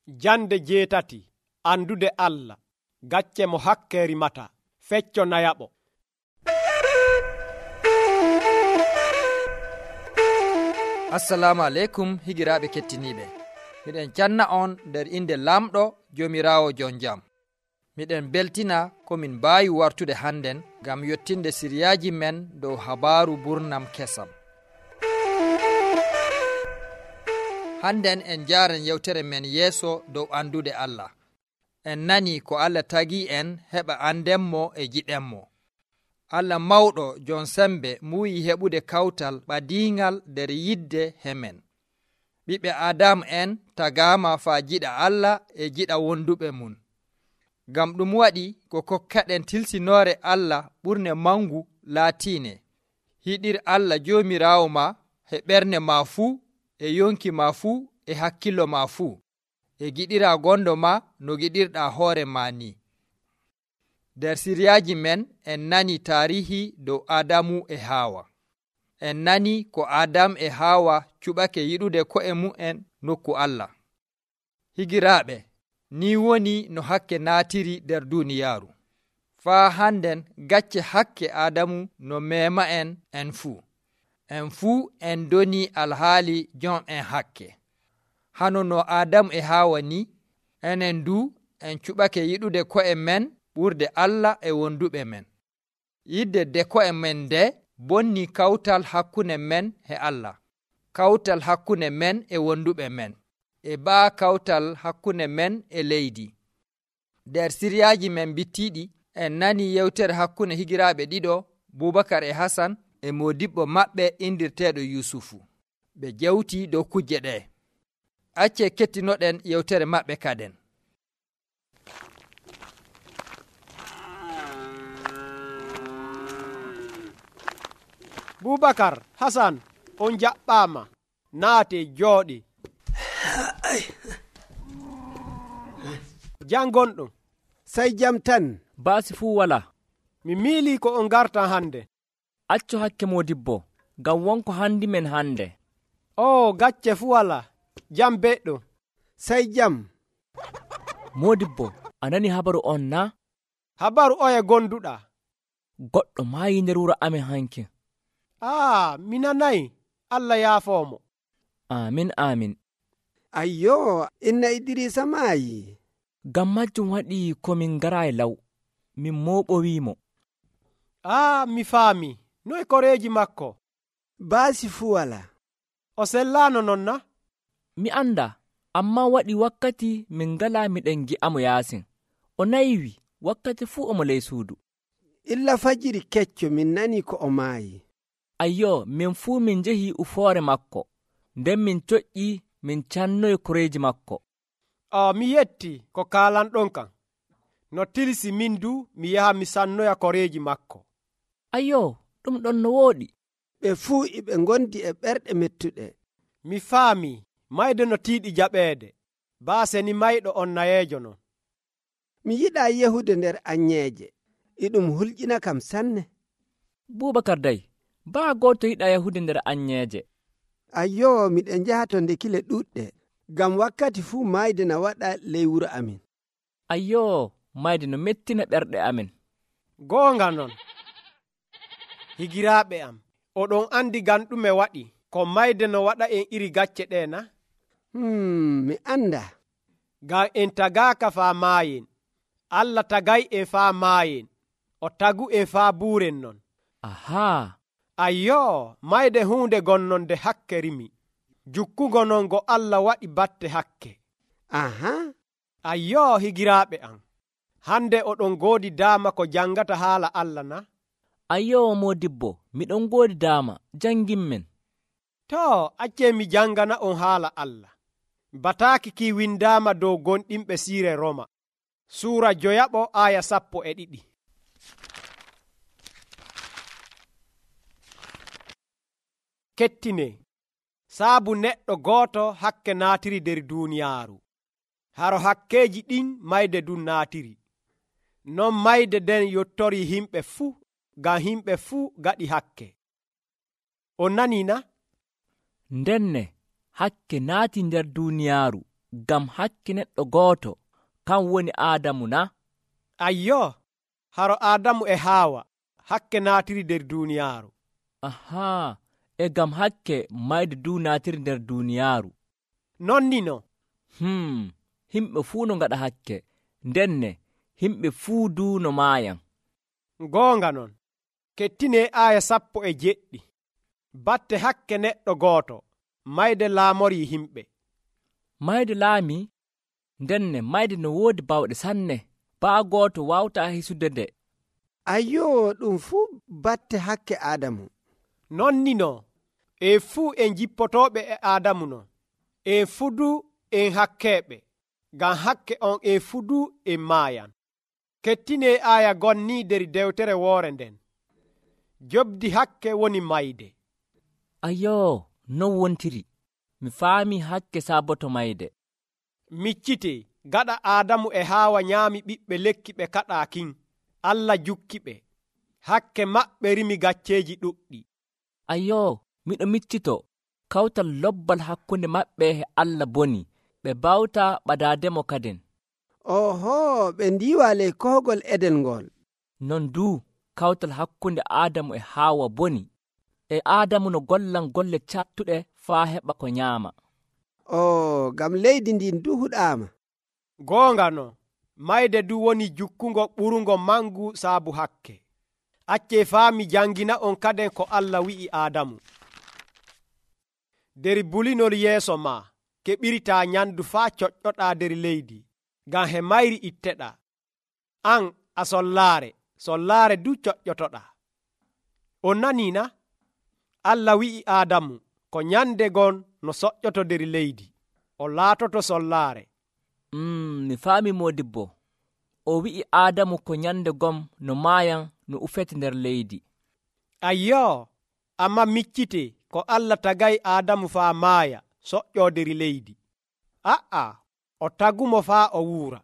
Jande 7 andude Allah, gacce mo hakke rimata, fecco nayaɓo. Assalamu aleykum higiraaɓe kettiniiɓe. Miɗen canna on nder inde lamɗo Joomiraawo jon jam. Miɗen beltina komin mbaawi wartude hannden ngam yottinde siriyaaji men dow habaaru burnam kesam. Hannden en jaaren yewtere men yeeso dow andude Allah. En nani ko Allah tagii en heɓa andenmo e jiɗenmo. Allah mawɗo jon sembe muuyi heɓude kawtal ɓadiingal nder yidde hemen. Ɓiɓɓe Adamu en tagaama faa jiɗa Allah e jiɗa wonduɓe mum. Ngam ɗum waɗi ko kokkaɗen tilsinoore Allah ɓurne mangu laatiine. Hiɗir Allah Joomiraawo ma e ɓernde ma fuu, e yonki ma fuu, e hakkillo ma fuu, e giɗira gondo ma no giɗirɗa hoore ma ni. Nder siriyaaji men en nani taarihi dow Adamu e Haawa. En nani ko Adam e Haawa cuɓake yiɗude ko'e mu'en nokku Allah. Higiraaɓe, ni woni no hakke naatiri nder duuniyaaru. Faa hannden gacce hakke Adamu no meema en fuu. En fuu en doni alhaali jon en hakke. Hano no Adamu e Haawa ni, enen du en cuɓake yiɗude ko'e men ɓurde Allah e wonduɓe men. Yidde de ko'e men nde bonni kawtal hakkunde men e Allah, kawtal hakkunde men e wonduɓe men, e baa kawtal hakkunde men e leydi. Nder siriyaaji men bittiiɗi en nani yewtere hakkunde higiraaɓe ɗiɗo, Bubakar e Hasan, e modibbo maɓɓe indirteeɗo Yusufu. Ɓe jewti dow kujje ɗe. Acce kettinoɗen yewtere maɓɓe kaden. Bubakar, Hasan, on jaɓɓaama, naate jooɗi. Jangonɗo, sai jam tan. Baasi fuu wala. mi miilii ko on garta hande. Accu hakke modibbo, ngam wonko handi men hande. O gacce fuu wala, jam beɗɗo. Sai jam. Modibbo, a nani habaru on na? Habaru oye gonduɗa? Goɗɗo maayi nder wuro amen hanki. Mi nanayi. Allah yaafoomo. Amin, amin. Ayyo, inna Idirisa maayi. Ngam majjum waɗi komin ngarayi law, min mooɓowimo. Mi faami. Noy koreeji makko? Baasi fuu wala. O sellaano non na? Mi anda, amma waɗi wakkati min ngala miɗen gi'amo yaasin. O naywi wakkati fuu omo ley suudu. Illa fajiri kecco min nani ko o maayi. Ayyo, min fuu min njehi ufoore makko, nden min coƴƴi min cannoyi koreeji makko. Mi yetti ko kaalanɗon kan. No tilsi min du mi yaha mi sannoya koreeji makko. Ayyo, ɗum ɗon no wooɗi. Ɓe fuu iɓe ngondi e ɓerɗe mettuɗe. Mi faami, mayde no tiiɗi jaɓeede. Baase ni mayɗo on nayeejo non. Mi yiɗaa yehude nder anyeeje. Iɗum hulƴina kam sanne. Bubakar day, baa gooto yiɗaa yahude nder anyeeje. Ayyo, miɗen njahato ndekile ɗuɗɗe, ngam wakkati fuu mayde na waɗa ley wuro amin. Ayyo, mayde no mettina ɓerɗe amin. Goonga non. Higiraaɓe am, oɗon andi ngam ɗume waɗi ko mayde no waɗa en iri gacce ɗe na? Mi anda. Ngam en tagaaka faa maayen. Allah tagay en faa maayen. O tagu en faa buuren non. Ahaa. Ayyo, mayde huunde gonnon nde hakke rimi. Jukkugo non go Allah waɗi batte hakke. Aha. Ayyo, higiraaɓe am, hande oɗon goodi daama ko jangata haala Allah na? Ayyo, modibbo, miɗon goodi daama, jangimmen. Acce mi jangana on haala Allah. Bataaki ki windaama dow gonɗinɓe siire Roma. Suura 2 aya 12. Kettine, saabu neɗɗo gooto hakke naatiri nder duuniyaaru. Haro hakkeeji ɗin mayde dun naatiri. Non mayde den yottori himɓe fuu, ngam himɓe fuu gaɗi hakke. On nani na? Ndenne hakke naati nder duuniyaaru, ngam hakke neɗɗo gooto kan woni Aadamu na? Ayyo, haro Aadamu e Haawa hakke naatiri nder duuniyaaru. Ahaa, e ngam hakke mayde duu naatiri nder duuniyaaru. Non ni no. Himɓe fuu no ngaɗa hakke, ndenne himɓe fuu duu no maayan. Goonga non, kettinee aaya 17. Batte hakke neɗɗo gooto mayde laamorii himɓe. Mayde laamii, ndenne mayde no woodi bawɗe sanne, baa gooto waawtaa hisude nde. Ayyo, ɗum fuu batte hakke Aadamu. Non ni no, en fuu en jippotooɓe e Aadamu non. En fuu duu en hakkeeɓe, ngam hakke on en fuu duu en maayan. Kettinee aaya gonnii nder dewtere woore nden. Jobdi hakke woni mayde. Ayyo, non wontiri. Mi faamii hakke saaboto mayde. Miccitee, gaɗa Aadamu e Haawa nyaami ɓiɓɓe lekki ɓe kaɗaa kin, Allah jukki ɓe. Hakke maɓɓe rimi gacceeji ɗuɗɗi. Ayyo, miɗo miccito kawtal lobbal hakkunde maɓɓe e Allah boni, ɓe bawtaa ɓadaademo kaden. Oho, ɓe ndiiwa ley kohgol Eden ngol. Non duu kawtal hakkunde Aadamu e Haawa boni, e Aadamu no gollan golle cattuɗe faa heɓa ko nyaama. Ngam leydi ndin du huɗaama. Goonga no, mayde du woni jukkungo ɓurungo mangu saabu hakke. Accee faami jangina on kaden ko Allah wi'i Aadamu. Der bulinol yeeso ma, keɓiritaa nyandu faa coƴƴoɗaa der leydi, ngam he mayri itteɗaa. An a sollaare du coƴƴotoɗaa. On nanii na? Allah wi'i Aadamu ko nyande gon no soƴƴoto der leydi, o laatoto sollaare. Mi faami moodibbo. O wi'i Aadamu ko nyande gom no maayan no ufete nder leydi. Ayyo, amma miccite ko Allah tagay Aadamu faa maaya soƴƴoo der leydi. O tagumo faa o wuura.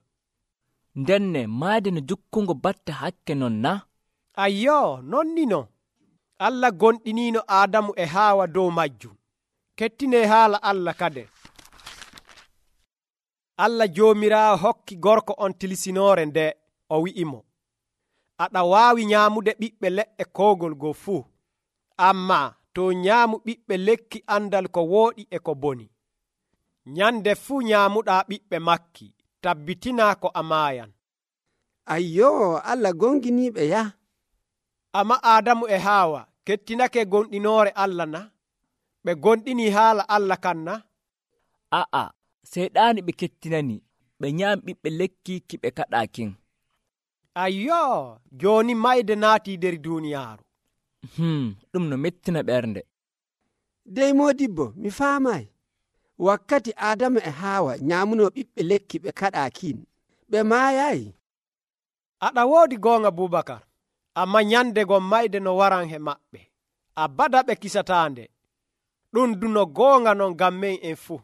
Ndenne maayde no jukkungo batte hakke non na? Ayyo, non ni no. Allah gonɗiniino Aadamu e Haawa dow majjum. Kettinee haala Allah kade. Allah Joomiraawo hokki gorko on tilisinoore nde, o wi'imo, aɗa waawi nyaamude ɓiɓɓe leɗɗe koogol goo fuu, amma to nyaamu ɓiɓɓe lekki andal ko wooɗi e ko boni. Nyande fuu nyaamuɗaa ɓiɓɓe makki, tabbitinaa ko a maayan. Ayyo, Allah gonginiiɓe ya. Amma Aadamu e Haawa kettinake gonɗinoore Allah na? Ɓe gonɗinii haala Allah kan na? Seyɗaani ɓe kettinani, ɓe nyaami ɓiɓɓe lekki ki ɓe kaɗaa kin. Ayyo, jooni mayde naatii der duuniyaaru. Ɗum no mettina ɓernde. Dey moodibbo, mi faamaay. Wakkati Aadamu e Haawa nyaamunoo ɓiɓɓe lekki ɓe kaɗaa kin, ɓe maayaayi. Aɗa woodi goonga Bubakar, amma nyande gon mayde no waran he maɓɓe. Abada ɓe kisataande. Ɗum duno goonga non ngam men en fuu.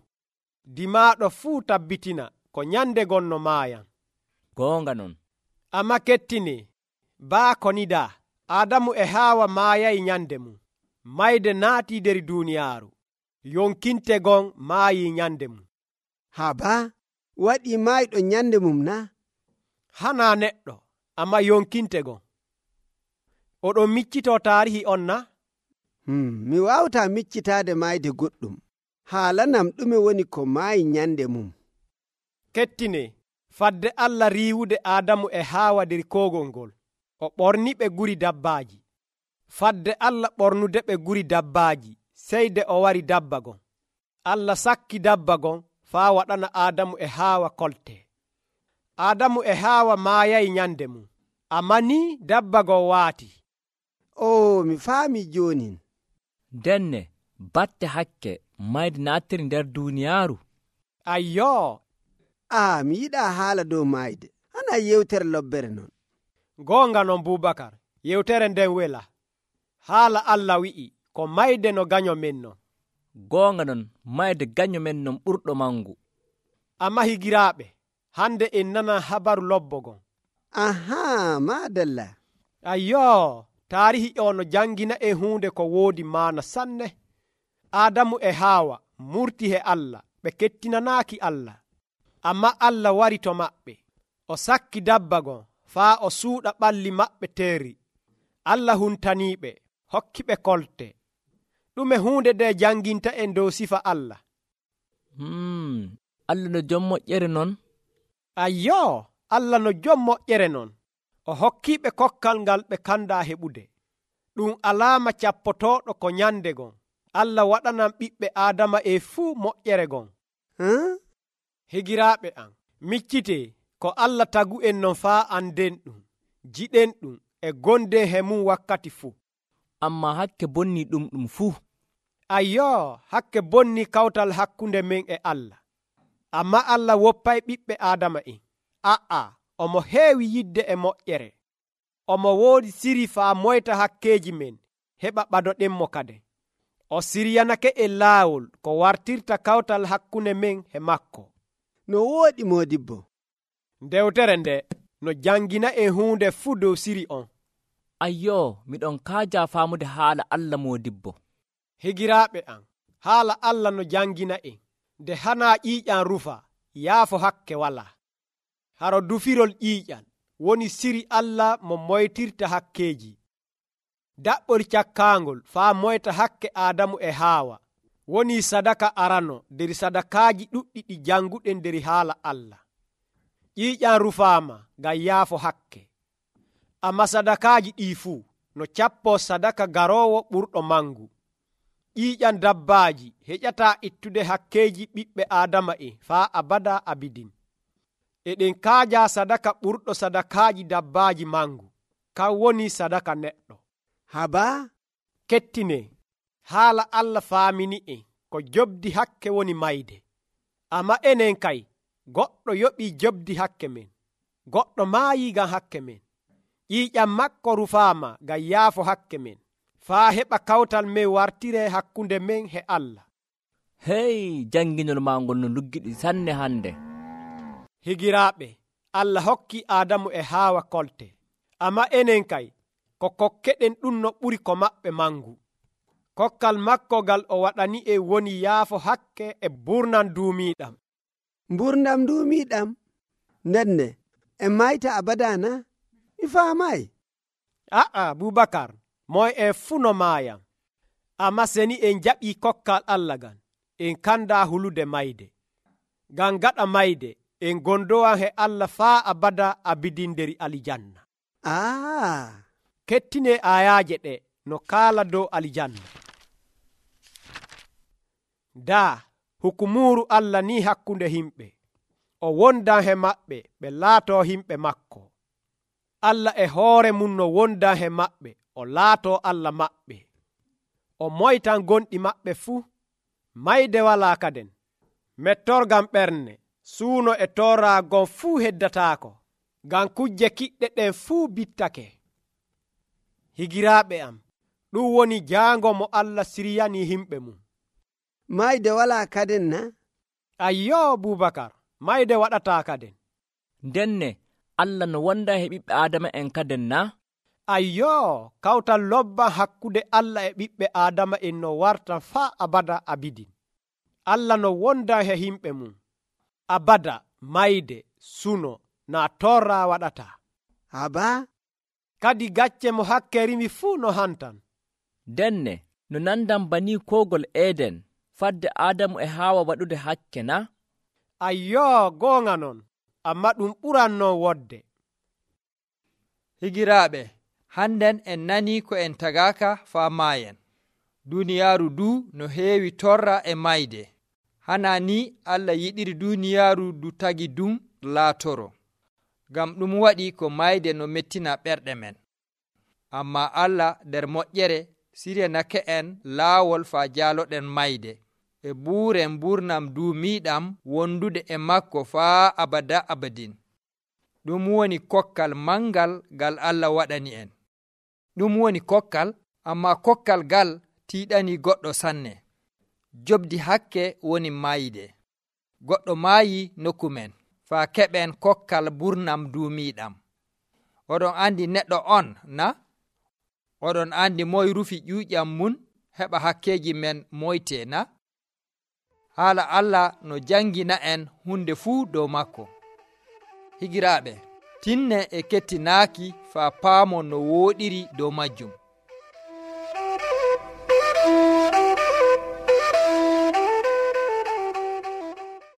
Dimaaɗo fuu tabbitina ko nyande gon no maayan. Goonga non. Amma kettinee, baa ko nidaa, Aadamu e Haawa maayayi nyande mum. Mayde naatii der duuniyaaru. Yonkinte gon maayii nyande mum. Baa, waɗii maayɗo nyande mum na? Hanaa neɗɗo, amma yonkinte gon. Oɗon miccitoo taarihi on na? Mi waawtaa miccitaade maayde goɗɗum. Haalanam ɗume woni ko maayi nyande mum. Kettinee, fadde Allah riiwude Aadamu e Haawa der koogol ngol, o ɓorni ɓe guri dabbaaji. Fadde Allah ɓornude ɓe guri dabbaaji, seyde o wari dabba gon. Allah sakki dabba gon faa waɗana Aadamu e Haawa kolte. Aadamu e Haawa maayayi nyande mum, amma ni dabba gon waati. Mi faami joonin. Denne batte hakke mayde naatiri nder duuniyaaru. Ayyo, mi yiɗaa haala dow maayde. Hana yewtere lobbere non. Goonga non Bubakar, yewtere nden wela. Haala Allah wi'i ko mayde no ganyo men non. Goonga non mayde ganyo men non ɓurɗo mangu. Amma higiraaɓe, hande en nana habaru lobbogon. Maadalla. Ayyo, taarihi o no jangina e huunde ko woodi maana sanne. Aadamu e Haawa murti he Allah, ɓe kettinanaaki Allah. Ammaa Allah wari to maɓɓe, o sakki dabba gon faa o suuɗa ɓalli maɓɓe teeri. Allah huntaniiɓe, hokkiɓe kolte. ɗume huunde nde janginta en dow sifa Allah? Allah no jom moƴƴere non? Ayyoo, Allah no jom moƴƴere non. O hokkiiɓe kokkal ngal ɓe kandaa heɓude. ɗum alaama cappotooɗo ko nyande gon. Allah waɗanan ɓiɓɓe Aadama fuu moƴƴere gon. Higiraaɓe am, miccitee ko Allah tagu en non faa anden ɗum, jiɗen ɗum e gonde he mum wakkati fuu. Amma hakke bonni ɗum fuu. Ayyoo, hakke bonni kawtal hakkunde men e Allah. Amma Allah woppay ɓiɓɓe Aadama en. Omo heewi yidde e moƴƴere. Omo woodi siri faa moyta hakkeeji men heɓa ɓadoɗenmo kade. O siryanake e laawol ko wartirta kawtal hakkunde men e makko. No wooɗi Moodibbo. Ndewtere nde no jangina en huunde fuu dow siri on. Ayyoo, miɗon kaaja faamude haala Allah Moodibbo. Higiraaɓe am, haala Allah no jangina en nde hanaa ƴiiƴam rufa, yaafo hakke walaa. Haro dufirol ƴiiƴal woni siri Allah mo moytirta hakkeeji. Daɓɓol cakkaangol faa moyta hakke Aadamu e Haawa woni sadaka arano nder sadakaaji ɗuɗɗi ɗi janguɗen nder haala Allah. ƴiiƴam rufaama ngam yaafo hakke. Amma sadakaaji ɗii fuu no cappoo sadaka garoowo ɓurɗo mangu. ƴiiƴam dabbaaji heƴataa ittude hakkeeji ɓiɓɓe Aadama faa abada abidin. Eɗen kaaja sadaka ɓurɗo sadakaaji dabbaaji mangu, kan woni sadaka neɗɗo. Habaa? Kettine, haala Allah faamini en ko jobdi hakke woni mayde. Amma enen kay, goɗɗo yoɓii jobdi hakke men. Goɗɗo maayii ngam hakke men. ƴiiƴam makko rufaama ngam yaafo hakke men, faa heɓa kawtal men wartire hakkunde men e Allah. Hey, janginol maa ngol no luggiɗi sanne hande. Higiraaɓe, Allah hokki Aadamu e Haawa kolte. Amma enen kay, ko kokkeɗen ɗum no ɓuri ko maɓɓe mangu. Kokkal makko ngal o waɗani woni yaafo hakke e burnam duumiiɗam. Mburnam duumiiɗam? Ndenne, en mayta abada na? Mi faamaay. Bubakar, moy en fuu no maayam. Amma seni en jaɓii kokkal Allah ngan, en kandaa hulude mayde. Ngam gaɗa mayde, en gondowan he Allah faa abada abidin nder alijanna. Kettine ayaaje ɗe no kaala dow alijanna. Daa hukumuru Allah ni hakkunde himɓe, o wondan he maɓɓe ɓe laatoo himɓe makko. Allah e hoore mum no wondan he maɓɓe, o laatoo Allah maɓɓe. O moytan gonɗi maɓɓe fuu, mayde walaa kaden. Mettorgam ɓernde, suuno e torraagon fuu heddataako, ngam kujje kiɗɗe ɗen fuu bittake. Higiraaɓe am, ɗum woni jaango mo Allah siryani himɓe mum. Mayde walaa kaden na? Ayyoo Bubakar, mayde waɗataa kaden. Ndenne, Allah no wonda he ɓiɓɓe Aadama en kaden na? Ayyoo, kawtal lobban hakkude Allah e ɓiɓɓe Aadama en no warta faa abada abidin. Allah no wonda he himɓe mum. Abada, mayde, suno, na torra waɗata. Habaa? Kadi gacce mo hakke rimi fuu no hantan. Denne, no nandan bani kogol Eden, fadde Aadamu e Haawa waɗude hakke na? Ayyoo, goonga non, amma ɗum ɓuran non wodde. Higiraaɓe, hannden en nanii ko en tagaaka faa maayen. Duuniyaaru duu no heewi torra e mayde. Hana ni Allah yiɗiri duuniyaaru du tagi dum laatoro. Ngam ɗum waɗi ko mayde no mettina ɓerɗe men. Amma Allah nder moƴƴere siryanake en laawol faa jaaloɗen mayde e buuren burnam duumiiɗam wondude e makko faa abada abadin. Ɗum woni kokkal mangal gal Allah waɗani en. Ɗum woni kokkal, amma kokkal gal tiiɗani goɗɗo sanne. Jobdi hakke woni mayde. Goɗɗo maayi nokku men, faa keɓen kokkal burnam duumiiɗam. Oɗon andi neɗɗo on, na? Oɗon andi moy rufi ƴuuƴam mun heɓa hakkeji men moyte, na? haala Allah no jangina en hunde fuu dow makko. Higiraaɓe, tinne e kettinaaki faa paamon no wooɗiri dow majjum.